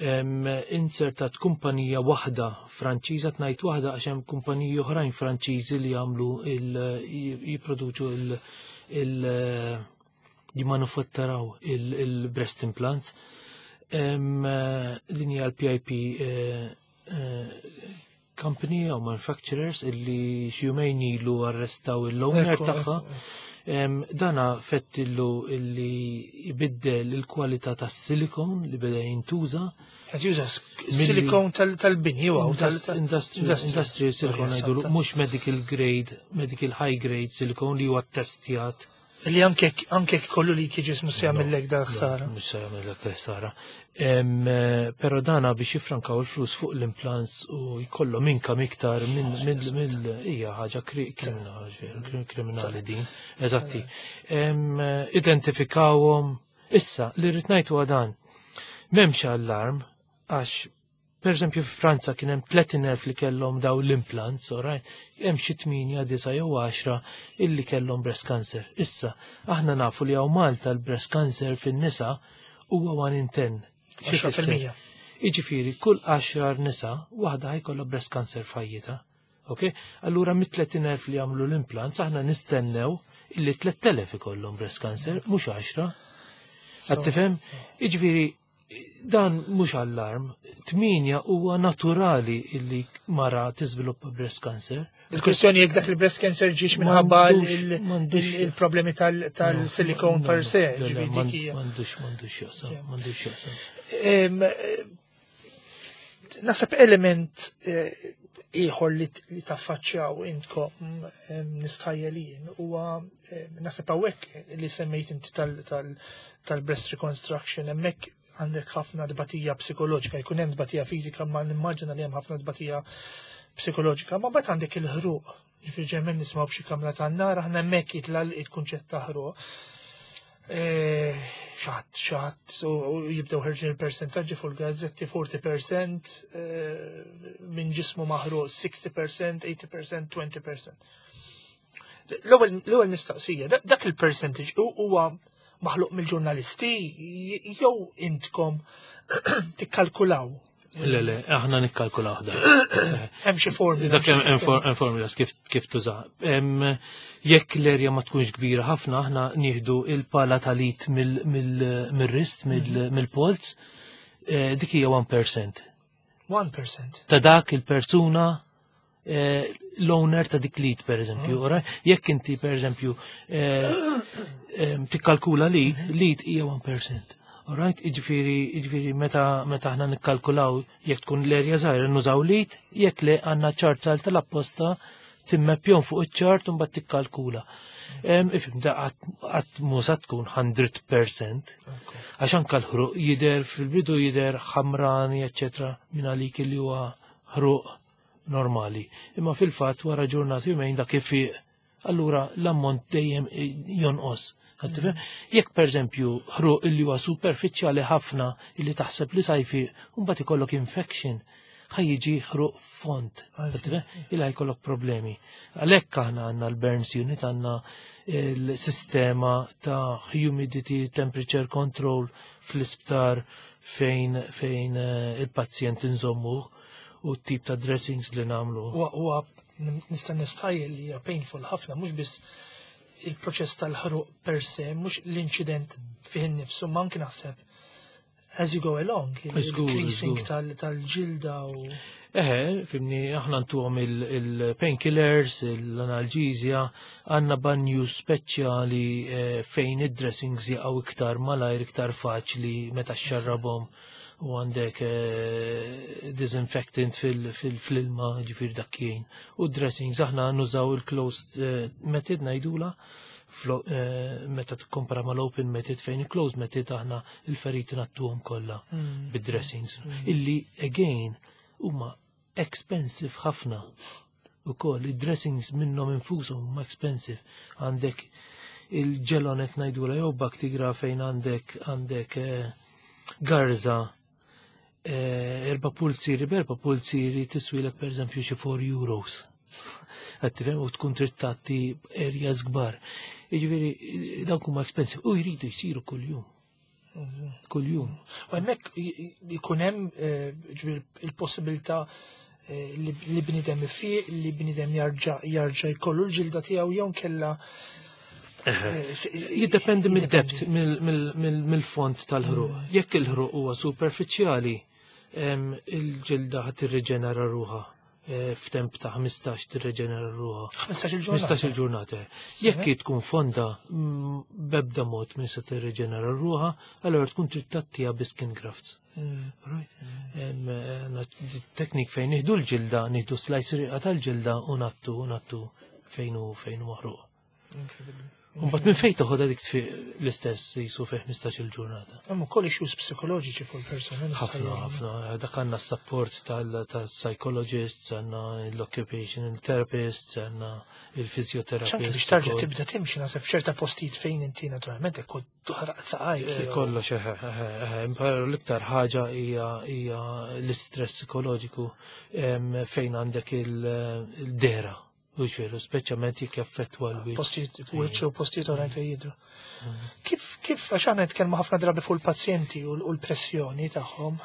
Em, Insertat kumpanija waħda Franċiża, tnajt waħda għax hemm kumpaniji oħrajn Franċiżi li jagħmlu il jipproduċu il il jimmanufatturaw il-breast implants. Em, eh, Din hija l-P I P eh, eh, company jew manufacturers illi xi jumejn ilu arrestaw il-owner Ekku, tagħha. ekku. Em, Dana fettillu illi jbiddel il-kwalità tas-silikon li beda jintuża. Qed juża Milli- silikon tal- tal-bini u tal- Indust- Industrial industrial silicone ngħidulu, mhux medical grade, medical high grade silicone li huwa testjat. Li anke anke kollu li leakages mhux se jagħmellek da ħsara. Mhux se jagħmellek ħsara. Em, eh, Però dana biex jifrankaw il-flus fuq l-implants u jkollhom income iktar minn minn minn hija ħaġa kri- kriminali kriminali din. Eżatti. Em, eh, Identifikawhom. Issa li rrid ngħid huwa dan. M'hemmx allarm għax per eżempju f'Franza kien hemm tletin elf li kellhom daw l-implants, alright? Hemm xi tmienja, disa' jew għaxra illi kellhom breast cancer. Issa, aħna nafu li hawn Malta l-breast cancer fin-nisa huwa one in ten. Xi tfisser? għaxra fil-mija. Jiġifieri kull għaxar nisa waħda ħa jkollha breast cancer f'ħajjitha. Ok? Allura mit-tletin elf li għamlu l-implants aħna nistennew illi tlett elef ikollhom breast cancer, mhux għaxra. Qed tifhem? Jiġifieri dan mhux allarm, tminja huwa naturali illi mara tiżviluppa breast cancer. Il-kwestjoni jekk dak il-breast cancer ġiex minħabba M'għandux- il- m'għandux- il- il-problemi tal- tal-silikon per se. Le, le, Ġifieri m'għand- dik hija. M'għandux, m'għandux jaqsam, m'għandux jaqsam. Em, eh, Naħseb element eh, Ieħor li li taffaċċjaw intkom, nistħajjel jien, huwa naħseb hawnhekk li semmejt inti tal-breast reconstruction, hemmhekk għandek ħafna dbatija psikoloġika, jkun hemm dbatija fiżika, ma nimmaġina li hemm ħafna dbatija psikoloġika, ma mbagħad għandek il-ħruq. Ġifieri ġemmen nismgħu b'xi kamra tan-nar, aħna hemmhekk jitla il-kunċett ta' ħruq. Xatt, xatt, u jibdew ħerġin il-percentaġġi fuq il-gazzetti, erbgħin fil-mija minn ġismu maħruq, sittaħx fil-mija, tmenin fil-mija, għoxrin fil-mija. L-ewwel mistaqsija, dak il-percentage huwa maħluq mill-ġurnalisti jew intkom tikkalkulaw? Le, le, aħna nikkalkulaw da. Hemm xi formula. Dak hemm formulas kif kif tuża. Jekk l-erja ma tkunx kbira ħafna, aħna nieħdu il-pala tal-it mill-wrist, mill-polz, eh, dik hija wieħed fil-mija. wieħed fil-mija. Ta' dak il-persuna, eh, l-owner ta' dik l-id, per eżempju. Jekk inti, per eżempju, eh, tikkalkula l-id, l-id hija wieħed fil-mija. Alright, iġifieri, iġifieri meta meta aħna nikkalkulaw, jekk tkun l-erja żgħira nużaw l-id, jekk le għandna ċart tal-apposta, timmeppjon fuq iċ-ċart u mbagħad tikkalkula. Ifhem, da qatt mhu sa tkun mija fil-mija. Għax anke l-ħruq jidher fil-bidu, jidher ħamrani, eċċetera, minn għalik li huwa ħruq normali. Imma fil-fatt wara ġurnata, jumejn, dak ifiq, allura l-ammont dejjem jonqos. Jekk per eżempju ħruq illi huwa superfiċjali ħafna illi taħseb li sa jfiq, mbagħad ikollok infection, ħa jiġi ħruq fond, illa jkollok problemi. Għalhekk aħna għandna l-burns unit, għandna l-sistema ta' humidity, temperature control fl-isptar fejn fejn eh, il-pazjent nżommu u t-tip ta' dressings li nagħmlu. Huwa nista' nistħajjel li hija painful ħafna, mhux biss il-proċess tal-ħruq per se, mhux l-inċident fih innifsu, ma anki naħseb as you go along, il-creasing tal-ġilda u. Eħe, fhimni, aħna ntuhom il-painkillers, l-analġizja, għandna banju speċjali eh, fejn id-dressings jaqgħu iktar malajr, iktar faċli meta xxarrabhom, u għandek eh, disinfectant fil-ilma, ġifieri dak jgħin. U dressings aħna nużaw il-closed eh, method ngħidula, meta tikkompara mal-open method, fejn il-closed method aħna il-feriti ngħattuhom kollha mm. bid-dressings. Mm. Illi again huma expensive ħafna. U koll, id-dressings minnhom infushom huma expensive. Għandek il-Jelonet ngħidula jew Bactigra, fejn għandek għandek eh, garza eh, erba' pulziri, b'erba' pulziri tiswilek per eżempju xi erba' euros. Qed tifhem, u tkun trid tgħatti areas kbar. Jiġifieri dawk huma expensive u jridu jsiru kuljum. Kuljum. U hemmhekk jkun hemm eh, ġifieri il-possibilità eh, li bniedem ifiq, li bniedem jarġa' jarġa' jkollu l-ġilda tiegħu jew kella eh, Jiddependi mid-depth, mill-fond tal-ħruq. Mm. Jekk il-ħruq huwa superfiċjali, il-ġilda ħa tirriġenera ruħha. Eh, f'temp ta' ħmistax tirreġenera ruħha. ħmistax il-ġurnata. ħmistax il-ġurnata. Jekk tkun fonda, mm, bebda mod minn se tirreġenera ruħha, allora tkun trid tgħattiha bi skin grafts. Mm. Right? Eh, teknik fejn nieħdu l-ġilda, nieħdu slice riqa tal-ġilda u ngħattu u ngħattu fejn hu fejn hu maħruq. Incredible. Mbagħad minn fejn toħodha dik tfiq l-istess jisu fi ħmistax il-ġurnata. Hemm ukoll issues psikoloġiċi fuq il-persuna. Ħafna, ħafna. Dak għandna s-support tal-psychologists, għandna l-occupational therapists, għandna il-physiotherapist. Anke biex tarġa' tibda timxi, naħseb, f'ċerta postijiet fejn inti naturalment hekk toħraq saqajk. Eh, jew- Kollox, eħe, eħe, eħe. Però l-iktar ħaġa hija hija l-istress psikoloġiku em, fejn għandek il- il-dehra. U ġveru, speċjalment jekk jaffettwa l-wiċċ. Postijiet wiċċ u postijiet oħrajn fejn jidhru. Kif kif għax aħna nitkellmu ħafna drabi fuq il-pazjenti u l- u l-pressjoni tagħhom.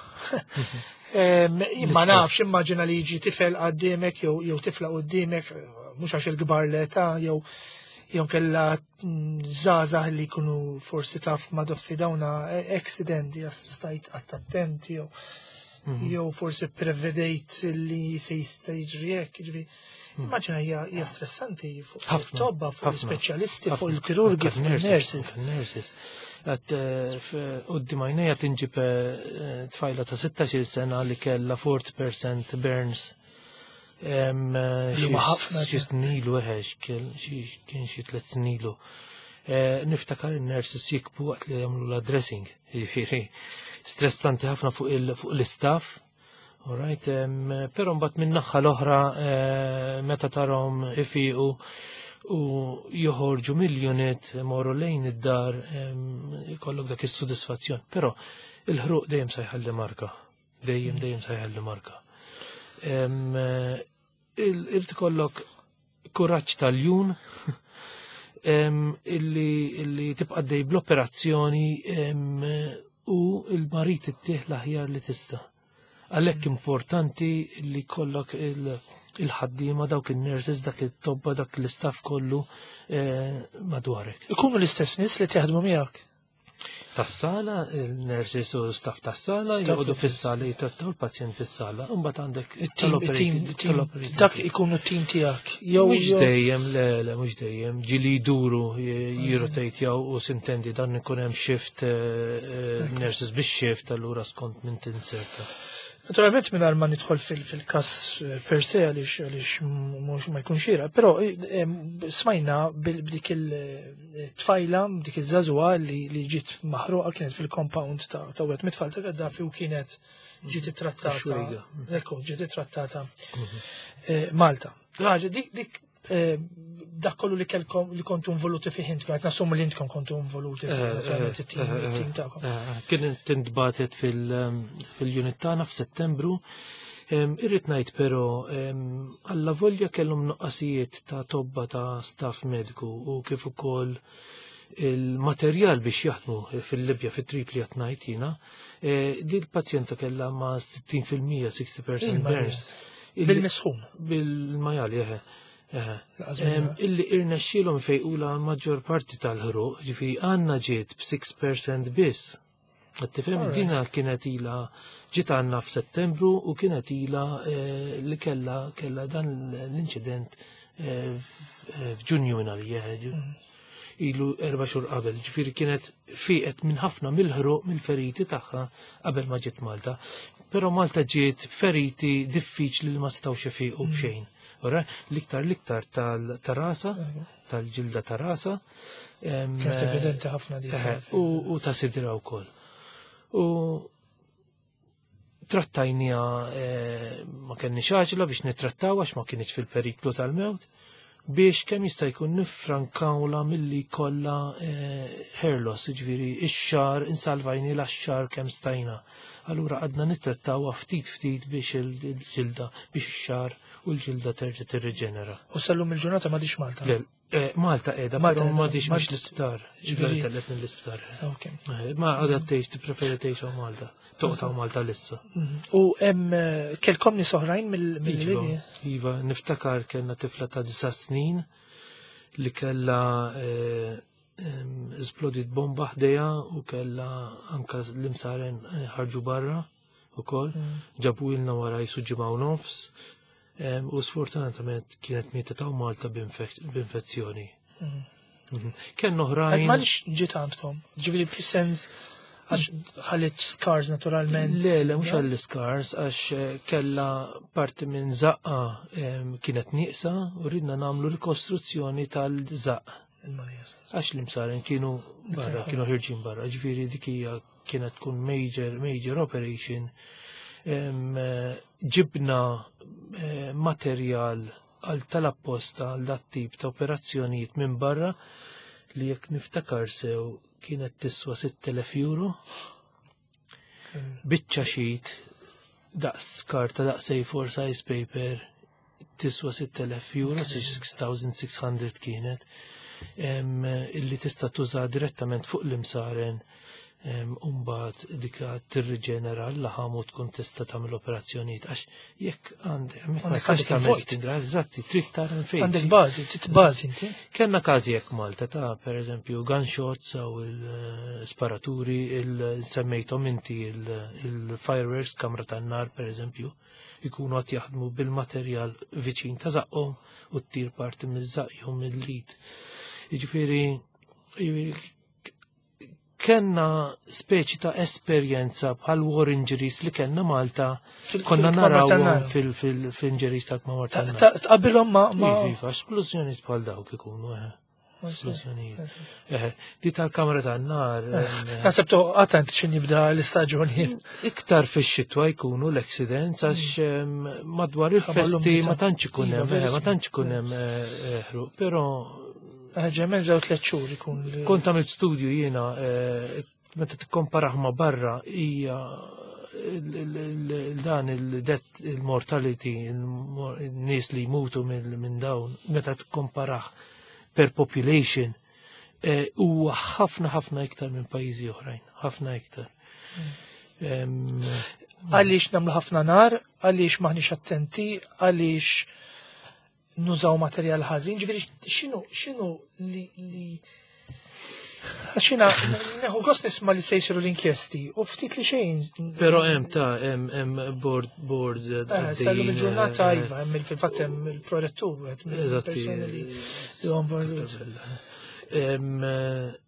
Em, Imma L-istress. nafx, immaġina li jiġi tifel quddiemek jew jew tifla quddiemek, mhux għax il-kbar l-età, jew jew kella mm, żgħażagħ li jkunu forsi taf ma doffi dawna accident, jas stajt qatt attenti jew jew forsi prevedejt li se jista' jiġri hekk, jiġri. Immaġina hija hija stressanti fuq Ħafna, it-tobba, fuq ħafna, l-ispeċjalisti, fuq ħafna. il-kirurgi, fuq Anke il-nurses. Nurses. Għat quddiem għajnejja tinġib eh, tfajla ta' sittax-il sena li kella erbgħin fil-mija burns. Em, Li xi- huma ħafna. Xi snin ilu, eħe, xi kien xi tliet snin ilu. Eh, Niftakar il-nurses jibku waqt li jagħmlu la dressing, jiġifieri stressanti ħafna fuq il- fuq l-istaff. Alright, em, però mbagħad minn naħa l-oħra eh, meta tarahom ifiqu u joħorġu mill-unit morru lejn id-dar, em, ikollok dak is-sodisfazzjon. Però il-ħruq dejjem sa jħalli marka. Dejjem dejjem sa jħalli marka. Em, eh, il- Irid ikollok kuraġġ tal-iljun em, illi, illi tibqa' dej bl-operazzjoni em, u il-marid ittih l-aħjar li tista'. Għalhekk importanti li kollok il- il-ħaddiema, dawk il-nurses, dak it-tobba, dak l-istaff kollu eh, madwarek. Ikunu l-istess nies li jaħdmu miegħek. Tas-sala, il-nurses u staff tas-sala, Dak joqogħdu il- fis-sala jitrattaw il-pazjent fis-sala, u mbagħad għandek Il-team, il-team, il-team, tal-operating dak ikunu t-team tiegħek. Jew Mhux jew- dejjem, le, le, mhux dejjem, ġieli jduru jirrotatjaw u s'intendi dan ikun hemm shift, eh, eh, nurses bix shift, allura skont minn tinserta. Naturalment mingħajr ma nidħol fil- fil-kas eh, per se għaliex għaliex mhux ma jkunx xieraq, però eh, em, smajna bil- b'dik il-tfajla, b'dik iż-żagħżugħa li li ġiet maħruqa, kienet fil-compound ta' ta' wieħed mit-tfal ta' Gaddafi u kienet ġiet ittrattata. Xwejga. Ekku, ġiet ittrattata eh, Malta. Ħaġa, dik dik eh, dak kollu li kelkom li kontu involuti fih intkom, qed nassumu li intkom kontu involuti fih, naturalment it-team it-team tagħkom. Kien tintbatet fil-unit tagħna f'Settembru. Em, Irrid ngħid però em, alla volja kellhom nuqqasijiet ta' tobba, ta' staff mediku u kif ukoll il-materjal biex jaħdmu fil-Libja, fit-Tripli qed ngħid jiena, eh, di l-pazjenta kellha ma' sittin fil-mija, sixty percent burns. Illi- Bil-misħun. Bil-majjal, eħe. Eħe. Laqas Em, minna. Illi irnexxielhom fejqula maġġor parti tal-ħruq, ġifieri għandna ġiet b'sitta fil-mija biss. Qed tifhem? Alright. Dina kienet ila ġiet għandna f'Settembru u kienet ila eh, li kella kella dan l-inċident eh, f- eh, f'Ġunju minn għalija. Ilu erba' xhur qabel, ġifieri kienet fiqet minn ħafna mill-ħruq, mill-feriti tagħha qabel ma ġiet Malta. Però Malta ġiet feriti diffiċli li ma setgħux ifiqu b'xejn. Ora, l-iktar l-iktar tal-rasa, tal-ġilda ta' rasa. em, Kienet evidenti ħafna dik. Eħe, u u ta' sidra wkoll. U trattajnieha, eh, ma kenniex għaġla biex nittrattaw għax ma kienx fil-periklu tal-mewt, biex kemm jista' jkun nifrankawla milli kollha eh, hair loss, ġifieri ix-xagħar, insalvajnielha x-xagħar kemm stajna. Allura għadna nittrattawha ftit ftit biex il-ġilda, biex ix-xagħar u l-ġilda terġa' tirriġenera. U sal-lum il-ġurnata m'għadhiex Malta. Le, eh, Malta qiegħda, Malta però qiegħda. m'għadhiex Malta- mhux l-isptar. Ġifieri- Ġifieri telqet mill-isptar. Ok. Eh, Ma għadha tgħix, tippreferi tgħix hawn Malta. Toqgħod hawn Malta lissa. Mhm. U hemm eh, kelkom nies oħrajn mill- Iva, mill-Libja? Iva, niftakar kellna tifla ta' disa snin li kella eh, em, esplodit bomba ħdejha u kella anka l-imsaren eh, ħarġu barra ukoll. Ġabu ilna wara jisu ġimgħa u nofs em, u sfortunatament kienet mietet hawn Malta b'infek- b'infezzjoni. Mhm. Kenna oħrajn. M'għaliex ġiet għandkom? Ġifieri fis-sens għax ħallit scars naturalment. Le, le, mhux għall-scars, għax eh, kella parti minn zaqqa em, kienet nieqsa u ridna nagħmlu rikostruzzjoni tal-zaqq. Għax l-imsaren kienu barra, kienu ħirġin barra, ġifieri dik hija kienet tkun major, major operation. Em, eh, Ġibna eh, materjal għal tal-apposta għal dat tip ta' operazzjonijiet minn barra li jekk niftakar sew kienet tiswa sitt elef euro. Biċċa sheet daqs karta, daqs A four size paper, tiswa sitt elef euro, sitt elef u sitt mija kienet, em, illi tista' tuża direttament fuq l-imsaren, em, Umbat dik tirriġenera l-laħam u tkun tista' tagħmel operazzjonijiet għax jekk għandek ma Għandek tistax għandek tagħmel il-vojt. skin graft, eżatti, trid tara fejn. Għandek bażi, trid bażi inti. Kenna każi jekk Malta ta' per eżempju gunshots u il-sparaturi, il-semmejtom inti il-fireworks, kamra tan-nar per eżempju, ikunu għat jaħdmu bil-materjal viċin ta' zaqqhom u t-tir parti miż-żaqq jew mill-id. Jiġifieri Kenna speċi ta' esperjenza bħal war injuries li kellna Malta, Fil- konna fil-kmamar naraw tan-nar. fil-injuries ta' kmamar Ta- tan-nar. ta- Tqabbilhom ma' ma' Iva, iva, esplużjonijiet bħal dawk ikunu, eh. Esplużjonijiet. Eh, di tal-kamra tan-nar. em, Naħseb to għatant xin jibda l-istaġun jien. Iktar fix-xitwa jkunu l-accidents għax em, madwar il-festi l-umdità. ma tantx ikun Iva, hemm, eh, ma verissimo. tantx ikun hemm eh, ħruq, però Ġemmen ġew tliet xhur ikun li- kont għamilt studju jiena eh, meta tikkomparah ma' barra hija il- il- il- dan il-death il-mortality, il-nies li jmutu mill- minn dawn, meta tikkomparah per population, eh, huwa ħafna ħafna iktar minn pajjiżi oħrajn, ħafna iktar. Em, Għaliex nagħmlu ħafna nar, għaliex maħniex attenti, għaliex nużaw materjal ħażin, ġifieri x'inhu x'inhu li li għax jiena neħu gost nisma' li se jsiru l-inkjesti u ftit li xejn. Però hemm ta' hemm hemm board board Eh, għaddejjin, Sallum il-ġurnata eh, iva, hemm il- fil-fatt hemm il-prorettur, wieħed Eżatti. mill-persuni li li huwa involut. Em, eh,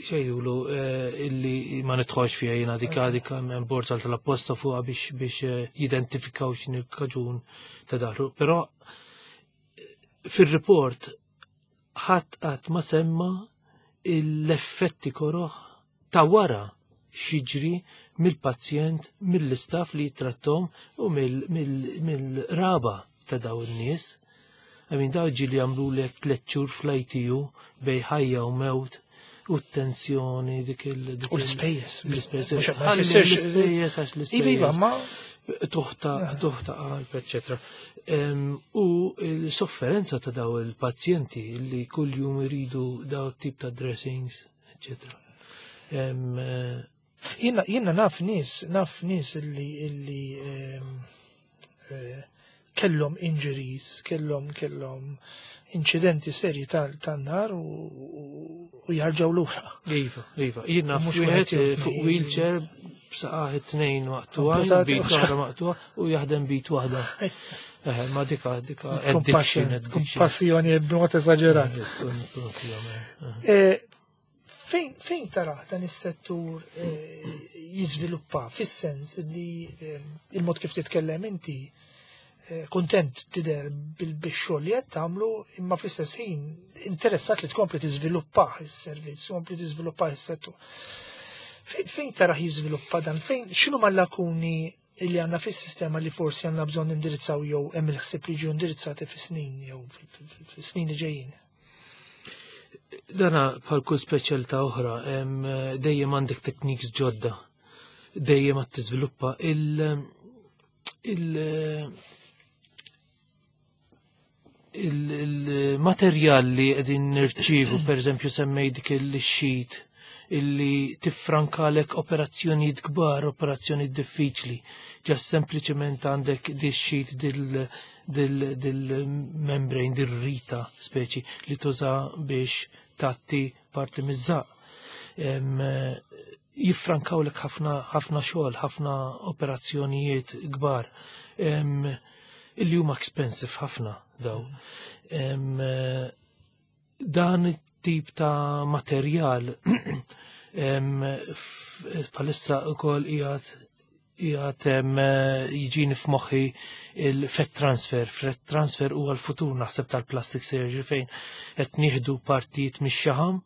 xejjulu eh, illi ma nidħolx fiha jiena dik dik hemm board tal-apposta fuqha biex biex eh, jidentifikaw x'inhi l-kaġun ta' daħlu. Però eh, fir-report ħadd qatt ma semma l-effetti koroħ ta' wara x'jiġri mill-pazjent, mill-istaff li jittrattom u mill-raba ta' daw in-nies. I mean, daw ġieli għamlu lek tliet xhur fl-I T U bejn ħajja u mewt u t-tensjoni dik il- dik U il- l-ispejjeż. L-ispejjeż. Mhux ma Ħalli jfissirx- l-ispejjeż għax Iva, iva, l-ispejjeż. ma Tuħta, tuħta qalb, eccetera. Em, U l-sofferenza ta' daw il-pazjenti li kull jum iridu daw tip ta' dressings, eccetera. Em, eh, Jiena jiena naf nies, naf nies illi illi ehm, eh, kellhom injuries, kellhom kellhom incidenti serji tan-nar u u jarġgħu lura. Iva, iva. Jien naf Mhux wieħed wieħed jew eh, fuq tnejn. wheelchair b'saqajh tnejn maqtugħin, Amputati. b'id oħra maqtugħa u jaħdem b'id waħda. Eh, ma dika, dika, addiction, addiction. Kompassjoni b'mod eżaġerat. Eh, tkun- tkun fihom, eh. Eh, Fejn fejn tara dan is-settur eh, jiżviluppa fis-sens li eh, il-mod kif titkellem inti eh, kontent tidher bil-xogħol li qed tagħmlu, imma fl-istess ħin interessat li tkompli tiżviluppah is-servizz, tkompli tiżviluppah is-settur. Fejn fejn tara jiżviluppa dan? Fejn x'inhu mal-lakuni li għandna fis-sistema li forsi għandna bżonn indirizzaw jew hemm il-ħsieb li ġew indirizzati fis-snin jew fis-snin li ġejjin? Dana bħal kull speċjalità oħra, em, dejjem għandek techniques ġodda, dejjem għad tiżviluppa il- il- il- il-materjal li qegħdin nirċievu, per eżempju semmej dik il-sheet illi tiffrankalek operazzjonijiet kbar, operazzjonijiet diffiċli. Ġa sempliċement għandek di sheet dil dil dil-membrane, dil-rita speċi li tuża biex tatti parti miż-żaq. Em, Jiffrankawlek ħafna ħafna xogħol, ħafna operazzjonijiet kbar. Em, Illi huma expensive ħafna daw. Em, Dan it-tip ta' materjal em, f- bħalissa ukoll qiegħed qiegħed em, jiġini f'moħħi il-fat transfer. Fat transfer huwa l-futur naħseb tal-plastic surgery, fejn qed nieħdu partijiet mix-xaħam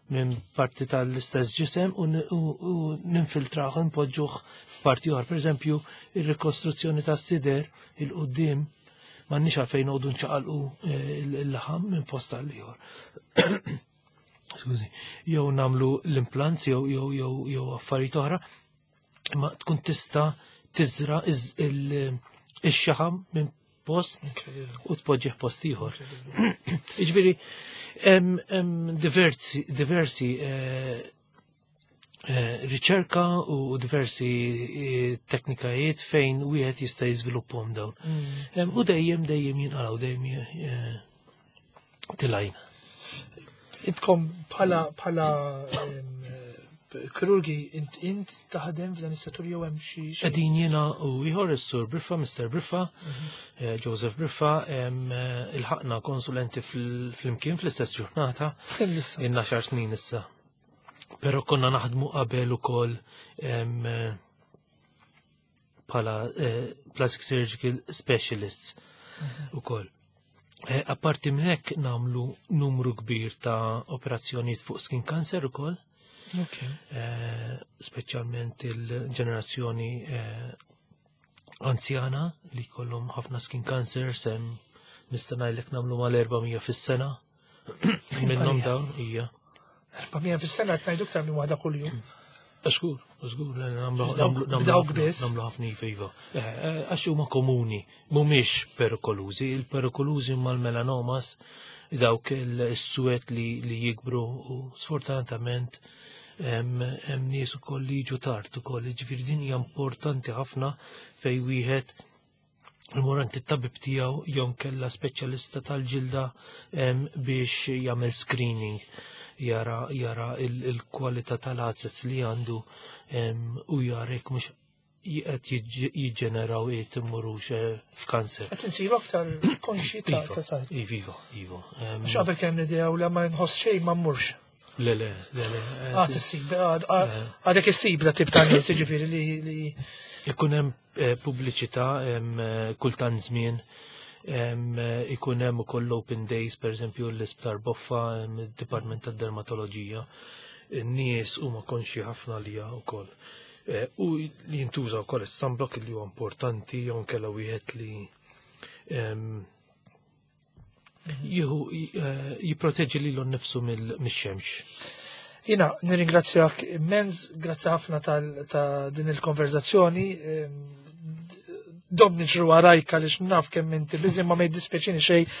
minn parti tal-istess ġisem u, n- u, u ninfiltraħ u npoġġuh f'parti oħra. Per eżempju, ir-rikostruzzjoni tas-sider il-qudiem m'għandniex għalfejn noqogħdu nċaqalqu eh, il-laħam minn post għal ieħor. Skużi, jew namlu l-implants jew jew jew jew affarijiet oħra, imma tkun tista' tiżra iż- il- ix-xaħam minn post u tpoġġih post ieħor. Jiġifieri hemm hemm diversi diversi eh, eh, riċerka u diversi eh, teknikajiet fejn wieħed jista' jiżviluppahom dawn. Em, U dejjem dejjem jinqalgħu, dejjem eh, tilgħin. Intkom bħala bħala em, eh, kirurgi int int taħdem f'dan is-settur jew hemm xi xi- Qegħdin jiena u ieħor, is-Sur Briffa, Mister Briffa, eh, Joseph Briffa, em, eh, ilħaqna konsulenti fl- fl-imkien fl-istess ġurnata, Issa. inna xar snin issa. Però konna naħdmu qabel ukoll bħala eh, plastic surgical specialists ukoll. Eh, apparti minn hekk nagħmlu numru kbir ta' operazzjonijiet fuq skin cancer ukoll. Okay. Eh, speċjalment il-ġenerazzjoni anzjana li kollhom ħafna skin cancer, sem nista' ngħidlek nagħmlu mal-erba' mija fis-sena. Minnhom dawn hija. erba' mija fis-sena qed ngħidu iktar minn waħda kuljum. Żgur, żgur, nagħmlu ħafna, iva. Eh, eh, għax huma komuni, mhumiex perikolużi, il-perikolużi huma l-melanomas, dawk il-suwed li jikbru u sfortunatament hemm nies ukoll li jiġu tard ukoll, jiġifieri din hija importanti ħafna fej wieħed imur għand it-tabib tiegħu jew kella speċjalista tal-ġilda biex jagħmel screening, jara jara il-kwalità tal-għazez li għandu u jara jekk mhux qed jiġġeneraw qed immurux eh, f'kanser. Qed insiru aktar konxi ta' Iva, saħħa. Iva, iva. Għax qabel kien l-idea u la ma nħoss xejn ma mmurx. Le, le, le, le. Għad issib, għadek issib da tip ta' nies, jiġifieri li li Ikun hemm eh, pubbliċità eh, kultant żmien, ikun hemm ukoll open days, pereżempju l-Isptar Boffa, id-Dipartment tad-Dermatoloġija. In-nies huma konxi ħafna li wkoll. Eh, u li jintuża wkoll is-sunblock li huwa importanti jew nkella wieħed li jieħu eh, jipproteġi lilu nnifsu mill-xemx. Jiena nirringrazzjak immens, grazzi ħafna ta' din il-konverzazzjoni. Dom niġru warajk għaliex naf kemm inti busy, ma ma jiddispjaċini xejn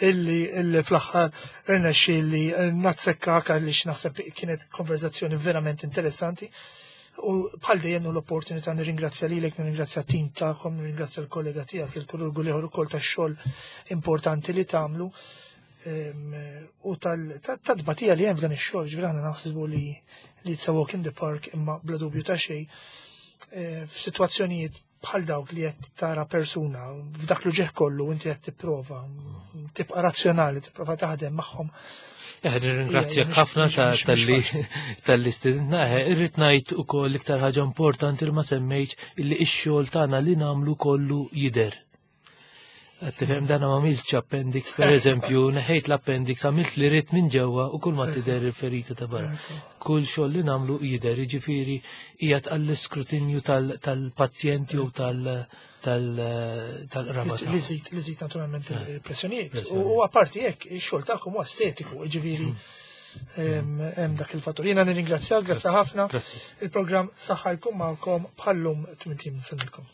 illi illi fl-aħħar rnexxieli nazzekkak għaliex naħseb kienet konverzazzjoni verament interessanti. U bħal dejjem l-opportunità nirringrazzja lilek, nirringrazzja t-tim tagħkom, nirringrazzja l-kollega tiegħek, il-kirurgu l-ieħor ukoll tax-xogħol importanti li tagħmlu u tal-tbatija li hemm f'dan ix-xogħol, ġifieri aħna naħsbu li li it's a walk in the park, imma bla dubju ta' xejn e, f'sitwazzjonijiet bħal dawk li qed tara persuna f'dak l-uġigħ kollu, inti qed tipprova tibqa' razzjonali, tipprova taħdem magħhom. Eh, nirringrazzjak ħafna talli talli stedintna. Eh, irrid ngħid ukoll iktar ħaġa importanti li ma semmejtx, illi x-xogħol tagħna li nagħmlu kollu jidher. Tifhem, dan ma għamiltx appendix, per eżempju, neħejt l-appendix, għamilt li rrid minn ġewwa u kull ma tidher il-ferita ta' barra. Kull xogħol li nagħmlu jidher, jiġifieri qiegħed għall-iskrutinju tal-pazjenti u tal-qraba. Li żid, li żid naturalment il-pressjonijiet. U apparti hekk, ix-xogħol tagħkom huwa estetiku, jiġifieri hemm dak il-fattur. Jiena nirringrazzjak, grazzi ħafna. Il-programm Saħħa jkun magħkom bħallum tmint ijiem. Nsellmilkom.